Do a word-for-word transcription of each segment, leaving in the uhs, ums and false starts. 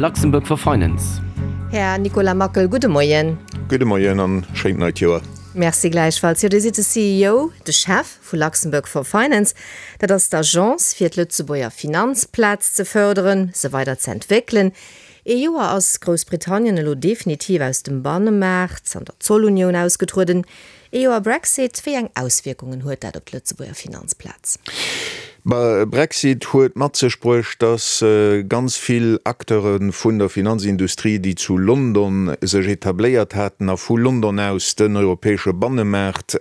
Luxembourg for Finance. Här Nicolas Mackel, gudde Moien. Gudde Moien an schéint neit Joer. Merci gläichfalls. Jo, Dir sidd de C E O, de Chef vu Luxembourg for Finance. Dat ass d'Agence fir d'Lëtzebuerger Finanzplaz ze fërderen, se weider ze entwéckelen. Ee Joer ass Groussbritannien elo definitiv aus dem Bannemaart an der Zollunioun ausgetrueden. Ee Joer Brexit, wéi eng Auswierkungen huet dat op d'Lëtzebuerger Finanzplaz? Brexit huet mat sech bruecht, datt ganz vill Acteure vun der Finanzindustrie, déi zu London sech etabléiert haten a vu London aus den europäesche Bannemaart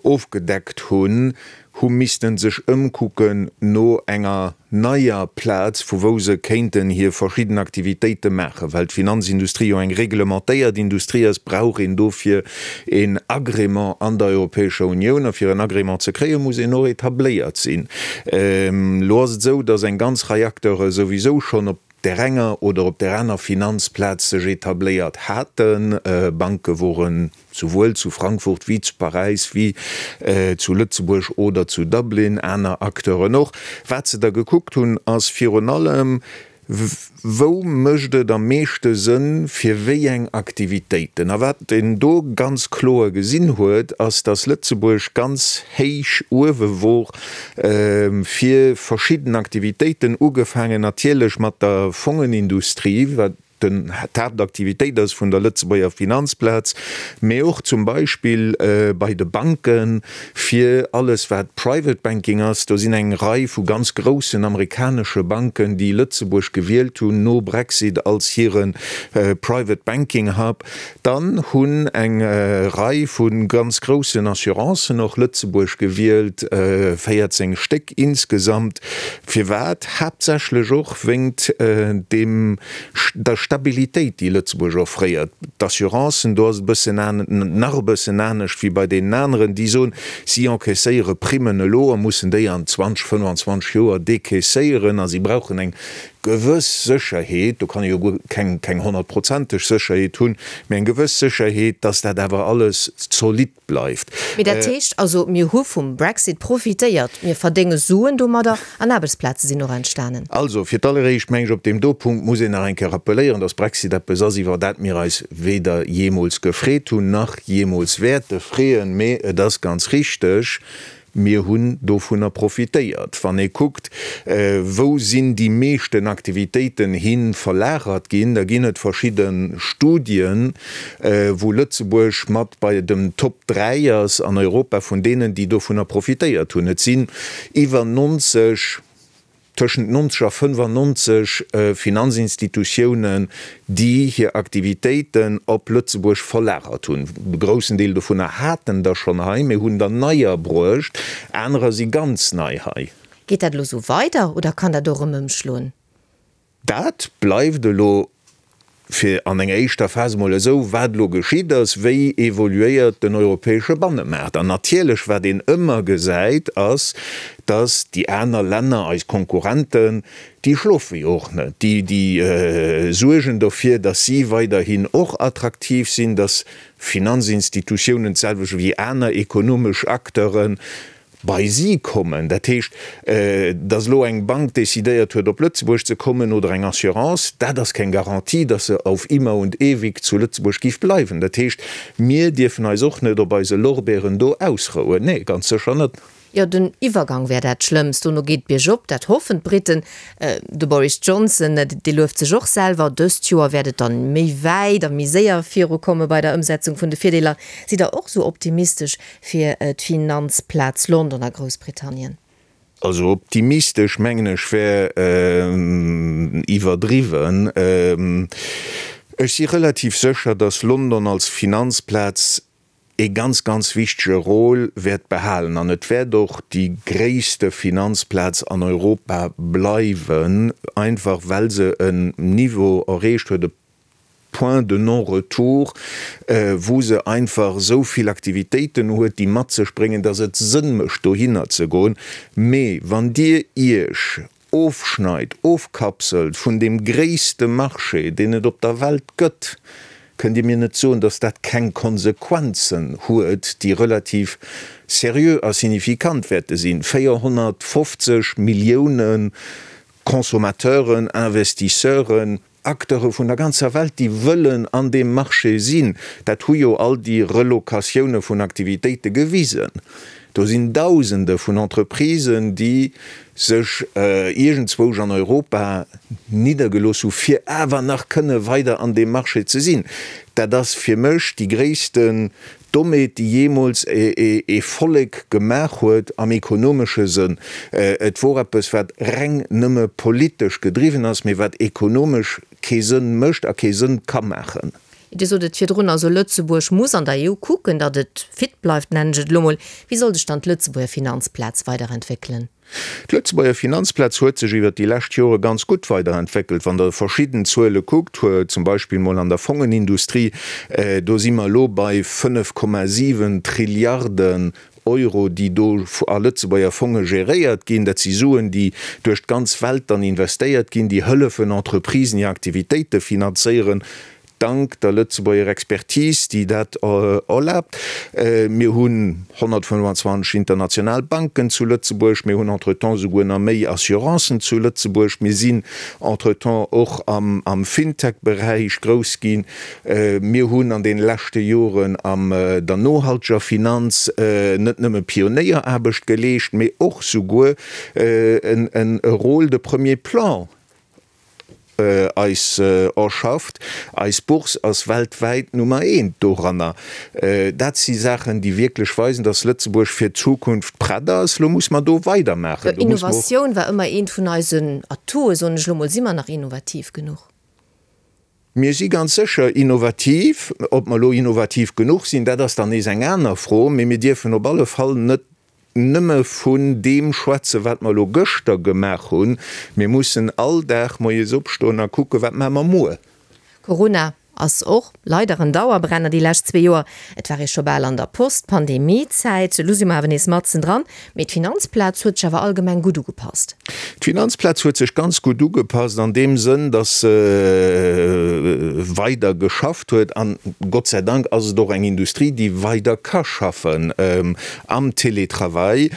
ofgedeckt hunn, hu missten sech ëmkucken no enger neier Plaz, vu wou se kéinten hir verschidden Aktivitéite maachen. Well d'Finanzindustrie jo eng reglementéiert Industrie ass, brauch een dofir een Agrément an der Europäescher Unioun. A fir en Agrément ze kréien, muss een och etabléiert sinn. Elo ass et esou, datt eng ganz Rei Acteure souwisou schonn op där enger oder op där aner Finanzplaz sech etabléiert haten. Banke woren souwuel zu Frankfurt wéi zu Paräis wéi zu Lëtzebuerg oder zu Dublin, aner Acteuren och. Wat se da gekuckt hunn, ass virun allem, Wou mécht et am meeschte Sënn fir wéi eng Aktivitéiten? A wat een do ganz kloer gesinn huet, ass, dass Lëtzebuerg ganz héich uewe wor fir verschidden Aktivitéiten, ugefaangen natierlech mat der Fongenindustrie, wat d'Haaptaktivitéit ass vun der Lëtzebuerger Finanzplaz, mee och zum Beispill bei de Banken, fir alles wat Private Banking ass. Do sinn eng Rei vu ganz groussen amerikanesche Banken, déi Lëtzebuerg gewielt hunn no Brexit als hire Private Banking Hub. Dann hunn eng Rei vu ganz groussen Assurancen och Lëtzebuerg gewielt, véierzéng Stéck insgesamt. Firwat? Haaptsächlech och wéingt deem der Stabilitéit, déi Lëtzebuerg offréiert. D'Assurancen, do ass et e bëssen nach e bëssen anescht wéi bei deenen aneren, déi soen, si encaisséiere Primmen elo a mussen déi an zwanzeg, fënnfanzwanzeg Joer decaisséieren a si brauchen eng gewëss Sécherheet, do kann ee jo guer keng keng honnertprozenteg Sécherheet hunn, mä eng gewëss Sécherheet, dass dat awer alles zolidd bleift. Mee dat heescht also, mir hu vum Brexit profitéiert, mir verdénge Suen domadder an Aarbechtsplaze sinn och entstanen. Also, fir d'alleréischt meng ech, op deem do Punkt muss een nach eng Kéier rappelléieren, dass Brexit eppes ass, iwwer dat mir eis weder jeemools gefreet hunn, nach jeemools wäerte freeën. Mee et ass ganz richteg, Mir hunn dovunner profitéiert. Wann ee kuckt, wou sinn déi meeschten Aktivitéiten hi verlagert ginn, da ginn et verschidde Studien, wou Lëtzebuerg mat bei den Top dräi ass an Europa vun deenen, déi dovunner profitéiert hunn. Et sinn iwwer neunzeg, tëschent neunzeg a fënnfannonzeg Finanzinstitutiounen, déi hir Aktivitéiten op Lëtzebuerg verlagert hunn. E groussen Deel dovunner haten der schonn hei, mee hunn der neier bruecht, anerer si ganz nei hei. Geet dat elo esou weider oder kann dat och erëm ëmschloen? Dat bleift elo fir an enger éischter Phas emol esou, wat elo geschitt ass, wéi evoluéiert den europäesche Bannemaart. An natierlech, wat een ëmmer gesäit, ass, dass déi aner Länner, eis Konkurrenten, déi schlofe jo och net, déi, déi suergen dofir, dass si weiderhin och attraktiv sinn, dass Finanzinstitutiounen, d'selwecht wéi aner ekonomesch Acteuren, bei si kommen. Dat heescht, datt elo eng Bank decidéiert huet, op Lëtzebuerg ze kommen, oder eng Assurance, dat ass keng Garantie, datt se auf immer und ewig zu Lëtzebuerg géif bleiwen. Dat heescht, mir dierfen eis och net op eise Lorbeeren do ausrouen. Nee, ganz sécher net. Jo, den Iwwergang wär dat Schlëmmst, dono geet et biergop, dat hoffen d'Briten. De Boris Johnson, dee lueft sech och selwer, dëst Joer wäert et dann méi wäit a méi séier virukomme bei der Ëmsetzung vun de Virdeeler. Sidd Der och sou optimistesch fir d'Finanzplaz London a Groussbritannien? Also optimistesch mengen ech wär iwwerdriwwen. Ech si relativ sécher, datt London als Finanzplaz ee ganz, ganz wichtege Rôle wäert behalen an et wäert och déi gréisste Finanzplaz an Europa bleiwen, einfach well se en Niveau erreecht huet, e Point de non-retour, wou se einfach esou vill Aktivitéiten huet, déi mat sech bréngen, dass et Sënn mécht, dohinner ze goen. Mee wann Dir Iech ofschneit, ofkapselt vun deem gréisste Marché, deen et op der Welt gëtt, kënnt Dir mir net soen, dass dat keng Konsequenzen huet, déi relativ seriö a signifikant wäerte sinn. véierhonnertfofzeg Millioune Consommateuren, Investisseuren, Acteure vun der ganzer Welt, déi wëllen an deem Marché sinn. Dat hu jo all déi Relocatioune vun Aktivitéite gewisen. Do sinn Dausende vun Entreprisen, déi sech iergendzwousch an Europa niddergelooss hu fir awer nach kënne weider an deem Marché ze sinn. Dat ass fir mech déi gréissten Dommheet, déi jeemools ee Vollek gemaach huet am ekonomesche Sënn. Et wor eppes, wat reng nëmme politesch gedriwwen ass, mee wat ekonomesch kee Sënn mécht a kee Sënn ka maachen. Dir sot et virdrun, also Lëtzebuerg muss an der E U kucken, datt et fit bleift, nennen ech et elo mol. Wéi soll sech dann d'Lëtzebuerger Finanzplaz weiderentwéckelen? D'Lëtzebuerger Finanzplaz huet sech iwwert déi lescht Jore ganz gutt weiderentwéckelt. Wann Der verschidden Zuele kuckt, zum Beispill mol an der Fongenindustrie, do si mer elo bei fënnef Komma siwen Trilliarden Euro, déi do a Lëtzebuerger Fonge geréiert ginn. Dat si Suen, déi duerch d'ganz Welt dann investéiert ginn, déi hëllefen Entreprisen hir Aktivitéite finanzéieren, dank der Lëtzebuerger Expertise, déi dat erlaabt. Mir hunn honnertfënnfanzwanzeg international Banken zu Lëtzebuerg, mir hunn entretemps souguer nach méi Assurancen zu Lëtzebuerg, mir sinn entretemps och am Fintech-Beräich grouss ginn, mir hunn an deene leschte Joren an der nohalteger Finanz net nëmme Pionéieraarbecht geleescht, mee och souguer e Rôle de premier plan eis erschafft. Eis Bourse ass weltwäit Nummer eent doranner. Dat si Saachen, déi wierklech weisen, datt Lëtzebuerg fir d'Zukunft prett ass. Lo muss mer do weidermaachen. Do muss mer och. Innovatioun war ëmmer eent vun eisen Atoue, soen ech lo mol. Si mer nach innovativ genuch? Mir si ganz sécher innovativ. Ob mer elo innovativ genuch sinn, dat ass dann nees eng aner Fro. Mee mir dierfen op alle Fall net nëmme vun deem schwätzen, wat mer elo gëschter gemaach hunn. Mir mussen all Dag moies opstoen a kucken, wat maache mer muer. Corona ass och leider en Dauerbrenner déi lescht zwee Joer. Et war ee scho bal an der Post-Pandemie-Zäit. Elo si mer awer nees matzen dran. Mee d'Finanzplaz huet sech awer allgemeng gutt ugepasst. D'Finanzplaz huet sech ganz gutt ugepasst an deem Sënn, datt se weider geschafft huet. An Gott sei Dank ass et och eng Industrie, déi weider ka schaffen am Télétravail.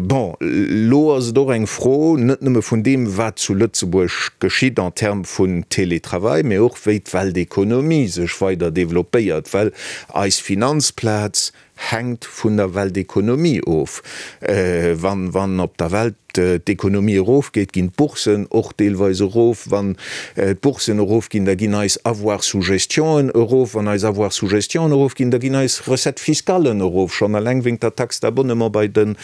Bon, elo ass et och eng Fro net nëmme vun deem, wat zu Lëtzebuerg geschitt en termes vun Télétravail, mee och wéi d'Weltekonomie sech weider developpéiert, well eis Finanzplaz hänkt vun der Weltekonomie of. Wann, wann op der Welt d'Ekonomie erofgeet, ginn d'Boursen och deelweis erof. Wann d'Boursen erofginn, da ginn eis Avoirs sous gestionen erof. Wann eis Avoirs sous gestion erofginn, da ginn eis Recettes fiscalen erof, schonn eleng wéinst der Taxe d'abonnement bei de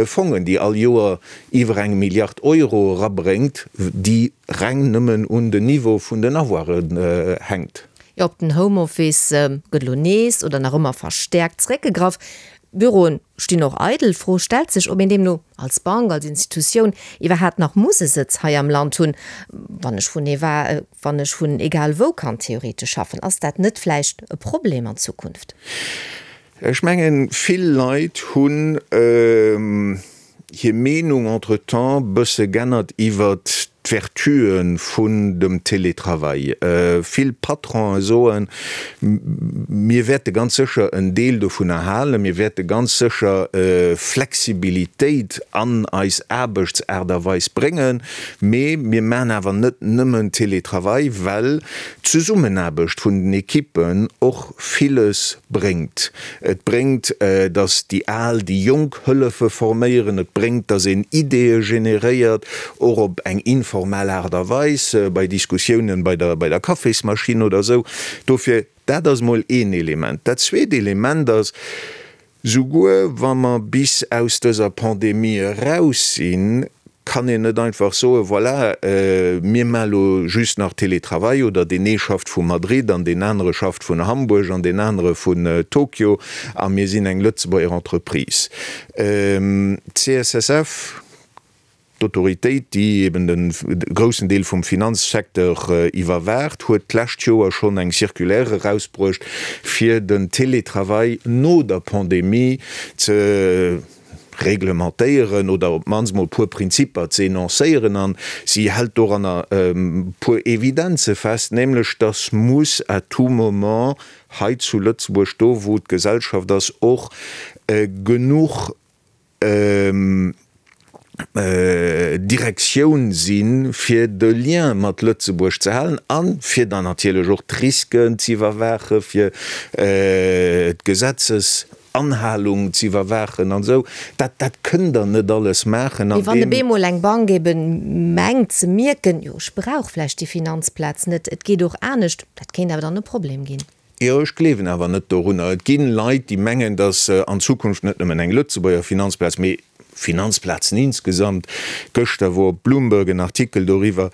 Fongen, déi all Joer iwwer eng Milliard Euro erabréngt, déi reng nëmmen un den Niveau vun den Avoiren hänkt. Jo, op den Homeoffice gëtt elo nees oder nach ëmmer verstäerkt zeréckgegraff. Büroen stinn och eidel. D'Fro stellt sech, ob een deemno als Bank, als Institutioun iwwerhaapt nach muss e Sëtz hei am Land hunn, wann ech vun ewa, wann ech vun egal wou kann theoretesch schaffen. Ass dat net vläicht e Problem an Zukunft? Ech mengen, vill Leit hunn hir Meenung entretemps bësse g'ännert iwwert d'Vertuen vun dem Télétravail. Vill Patronen soen, mir wäerte ganz sécher en Deel dovunner halen, mir wäerte ganz sécher Flexibilitéit an eis Aarbechtsaart a Weis bréngen, mee mir maachen awer net nëmmen Télétravail, well d'Zesummenaarbecht vun den Ekippen och villes bréngt. Et bréngt, datt déi Al déi Jonk hëllefe forméieren, et bréngt, datt een Ideeë generéiert, och op eng informell Aart a Weis, bei Diskussiounen bei der, bei der Kaffismaschinn oder esou. Dofir, dat ass emol een Element. Dat zweet Element ass, souguer wa mer bis aus dëser Pandemie eraus sinn, kann een net einfach soen, voilà, mir maache lo just nach Télétravail oder deen ee schafft vu Madrid an deen anere schafft vun Hamburg an deen anere vun Tokio a mir sinn eng Lëtzebuerger Entreprise. D'C S S F, d'Autoritéit, déi eben de groussen Deel vum Finanzsecteur iwwerwaacht, huet d'lescht Joer schonn eng Circulaire erausbruecht, fir den Télétravail no der Pandemie ze reglementéieren oder op d'mannst mol e puer Prinzipper ze enoncéieren. An si hält doranner e puer Evidenze fest, nämlech dass muss à tout moment hei zu Lëtzebuerg, do wou d'Gesellschaft ass, och genuch Direktioun sinn, fir de Lien mat Lëtzebuerg ze halen a fir dann natierlech och d'Risken z'iwwerwaachen, fir d'Gesetzesanhalung z'iwwerwaachen an esou. Dat, dat kënnt Der net alles maachen an deem. Mee wann op eemol eng Bank ebe mengt ze mierken, jo ech brauch vläicht déi Finanzplaz net, et geet och anescht, dat kéint awer dann e Problem ginn. Jo, ech gleewen awer net dorunner. Et gi Leit, déi mengen, datt an Zukunft net nëmmen eng Lëtzebuerger Finanzplaz, mee Finanzplazen insgesamt, gëschter wor op Bloomberg en Artikel doriwwer,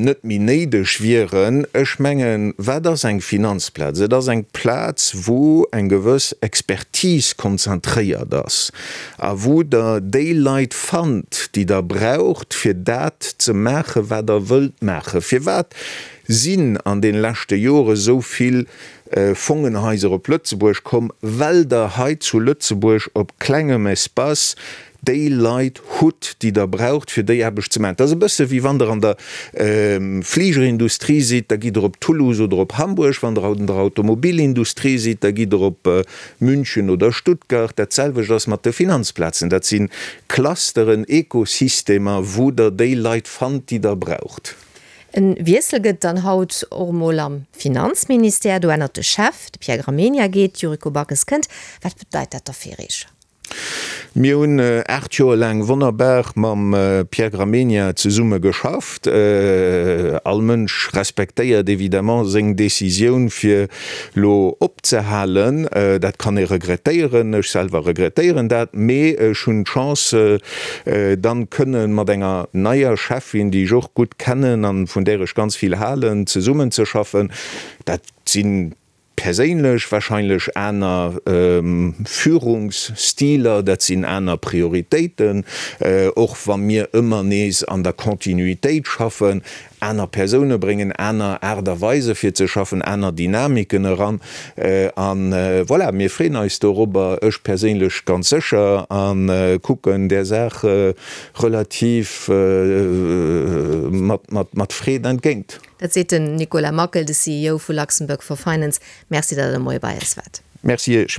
net méi néideg wieren. Ech mengen, wat ass eng Finanzplaz? Et ass eng Plaz, wou eng gewëss Expertise konzentréiert ass a wou Der déi Leit fannt, déi Der braucht, fir dat ze maachen, wat Der wëllt maachen. Firwat sinn an de leschte Jore sou vill Fongenhaiser op Lëtzebuerg komm, well Der hei zu Lëtzebuerg op klengem Espace déi Leit hutt, déi Der braucht, fir déi Aarbecht ze maachen. Dat ass e bësse wéi wann Der an der Fligerindustrie sidd, da gitt Der op Toulouse oder op Hamburg, wann Der an der Automobilindustrie sidd, da gitt Der op München oder Stuttgart. Dat selwecht ass mat de Finanzplazen. Dat si Clusteren, Ekosystemer, wou Der déi Leit fannt, déi Der braucht. E Wiessel gëtt dann haut och emol am Finanzministère. Do ännert de Chef, de Pierre Gramegna geet, d'Yuriko Backes kënnt. Wat bedeit dat da fir Iech? Mir hunn aacht Joer laang wonnerbar mam Pierre Gramegna zesumme geschafft. All Mënsch respektéiert évidemment seng Decisioun fir lo opzehalen. Dat kann ee regrettéieren, ech selwer regrettéieren dat, mee ech hunn d'Chance dann kënnen mat enger neier Cheffin, déi ech och gutt kennen an vun där ech ganz vill halen, zesummenzeschaffen. Dat sinn perséinlech wahrscheinlech aner Führungsstiler, dat sinn aner Prioritéiten, och wa mir ëmmer nees an der Kontinuitéit schaffen. Aner Persoune bréngen aner Aart a Weise fir ze schaffen, aner Dynamiken eran. A voilà, mir freeën eis dorobber, ech perséinlech ganz sécher, a kucken där Saach relativ mat Freed entgéint. Dat seet den Nicolas Mackel, de C E O vu Luxembourg for Finance. Merci, datt Der de Moie bei eis waart. Merci Iech.